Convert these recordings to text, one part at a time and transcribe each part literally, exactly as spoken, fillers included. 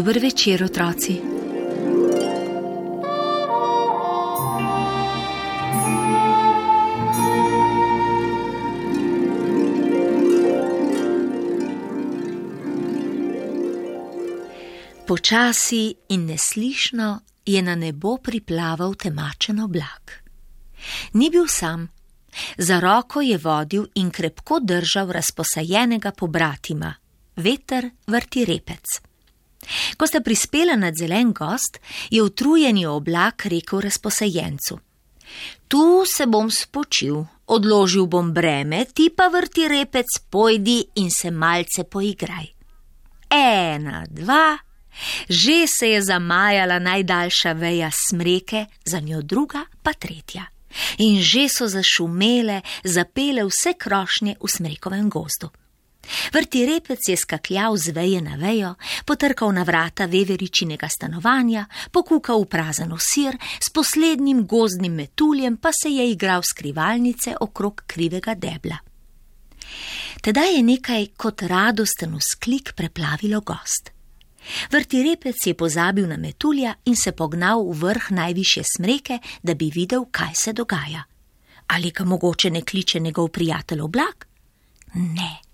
Dober večer, otroci. Počasi in neslišno je na nebo priplaval temačen oblak. Ni bil sam. Za roko je vodil in krepko držal razposajenega pobratima, veter vrtirepec. Ko sta prispela nad zelen gozd, je utrujeni oblak rekel razposajencu: Tu se bom spočil, odložil bom breme, ti pa vrtirepec pojdi in se malce poigraj. Ena, dva, že se je zamajala najdaljša veja smreke, za njo druga pa tretja. In že so zašumele, zapele vse krošnje v smrekovem gozdu. Vrtirepec je skakljal z veje na vejo, potrkal na vrata veveričinega stanovanja, pokukal v prazen osir, s poslednjim gozdnim metuljem pa se je igral skrivalnice okrog krivega debla. Tedaj je nekaj kot radosten vzklik preplavilo gozd. Vrtirepec je pozabil na metulja in se pognal v vrh najvišje smreke, da bi videl, kaj se dogaja. Ali ga mogoče ne kliče njegov prijatelj oblak? Ne.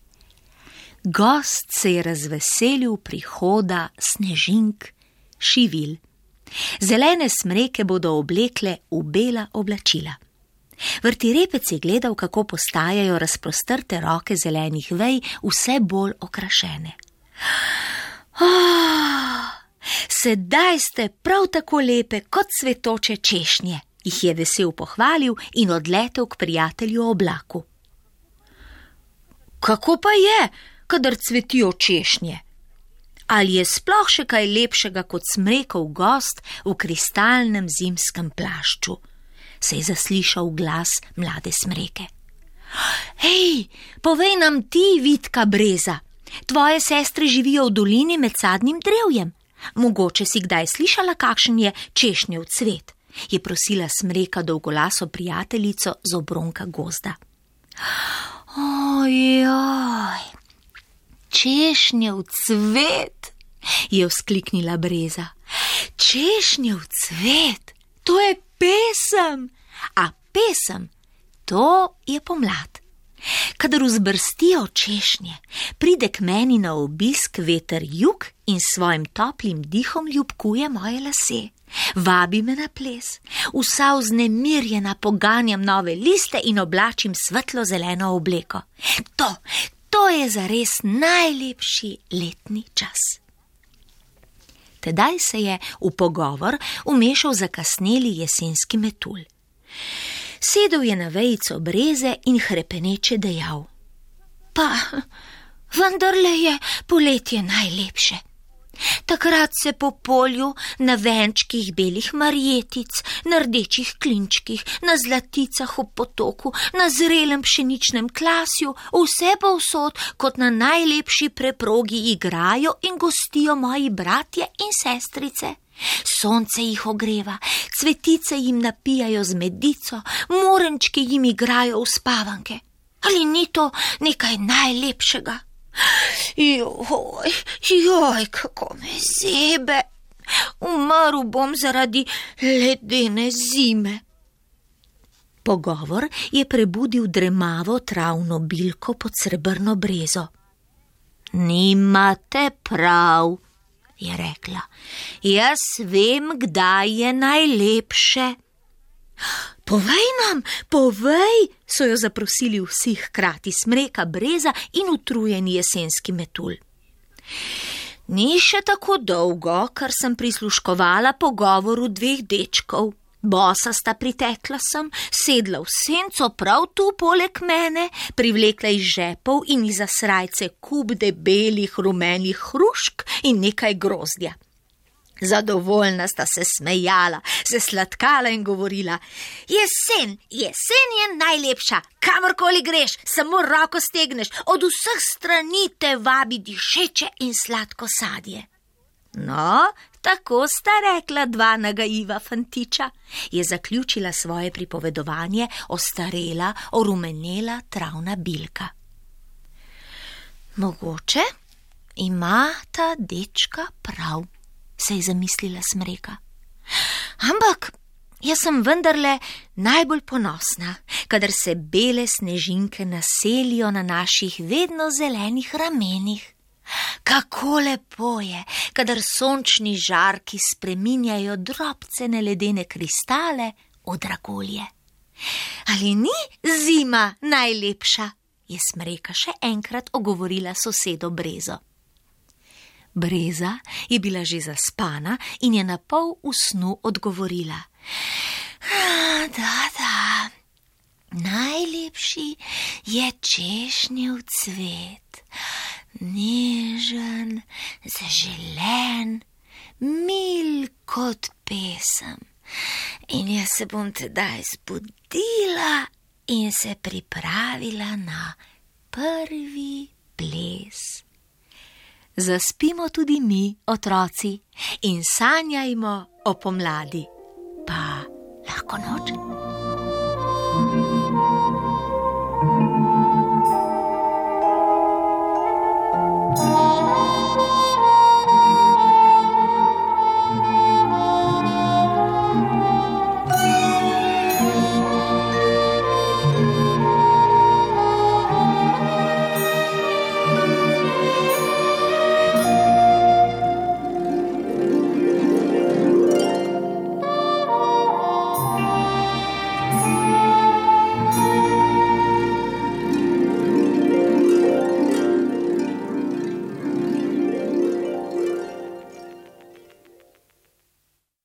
Gozd se je razveselil prihoda snežink, šivil. Zelene smreke bodo oblekle v bela oblačila. Vrtirepec je gledal, kako postajajo razprostrte roke zelenih vej vse bolj okrašene. Oh, sedaj ste prav tako lepe kot cvetoče češnje, jih je vesel pohvalil in odletel k prijatelju oblaku. Kako pa je, kadar cvetijo češnje? Ali je sploh še kaj lepšega kot smrekov gozd v kristalnem zimskem plašču? Se je zaslišal glas mlade smreke. Hej, povej nam ti, vitka breza. Tvoje sestre živijo v dolini med sadnim drevjem. Mogoče si kdaj slišala, kakšen je češnjev cvet, je prosila smreka dolgolaso prijateljico z obronka gozda. Ojoj, češnjev cvet, je vzkliknila breza. Češnjev cvet, to je pesem, a pesem, to je pomlad. Kadar vzbrstijo češnje, pride k meni na obisk veter jug in svojim toplim dihom ljubkuje moje lase. Vabi me na ples, vsa vznemirjena poganjam nove liste in oblačim svetlo zeleno obleko. To, to je zares najlepši letni čas. Tedaj se je v pogovor vmešal zakasneli jesenski metulj. Sedel je na vejico breze in hrepeneče dejal: Pa, vendarle je poletje najlepše. Takrat se po polju, na venčkih belih marjetic, na rdečih klinčkih, na zlaticah ob potoku, na zrelem pšeničnem klasju, vse povsod kot na najlepši preprogi igrajo in gostijo moji bratje in sestrice. Sonce jih ogreva, cvetice jim napijajo z medico, morenčki jim igrajo v spavanke. Ali ni to nekaj najlepšega? Joj, joj, kako me zebe. Umrl bom zaradi ledene zime. Pogovor je prebudil dremavo travno bilko pod srebrno brezo. Nimate prav, je rekla. Jaz vem, kdaj je najlepše. Povej nam, povej, so jo zaprosili vsi hkrati, smreka, breza in utrujeni jesenski metulj. Ni še tako dolgo, kar sem prisluškovala pogovoru dveh dečkov. Bosa sta pritekla sem, sedla v senco prav tu poleg mene, privlekla iz žepov in iza srajce kup debelih rumenih hrušk in nekaj grozdja. Zadovoljna sta se smejala, se sladkala in govorila: Jesen, jesen je najlepša, kamorkoli greš, samo roko stegneš, od vseh strani te vabi dišeče in sladko sadje. No, tako sta rekla dva nagajiva fantiča, je zaključila svoje pripovedovanje ostarela, orumenela travna bilka. Mogoče ima ta dečka prav, se je zamislila Smreka. Ampak jaz sem vendarle najbolj ponosna, kadar se bele snežinke naselijo na naših vedno zelenih ramenih. Kako lepo je, kadar sončni žarki spreminjajo drobcene ledene kristale v dragulje. Ali ni zima najlepša? Je Smreka še enkrat ogovorila sosedo Brezo. Breza je bila že zaspana in je na pol v snu odgovorila. Da, da, najlepši je češnjev cvet, nežen, zaželen, mil kot pesem. In jaz se bom tedaj zbudila in se pripravila na prvi ples. Zaspimo tudi mi, otroci, in sanjajmo o pomladi. Pa lahko noč.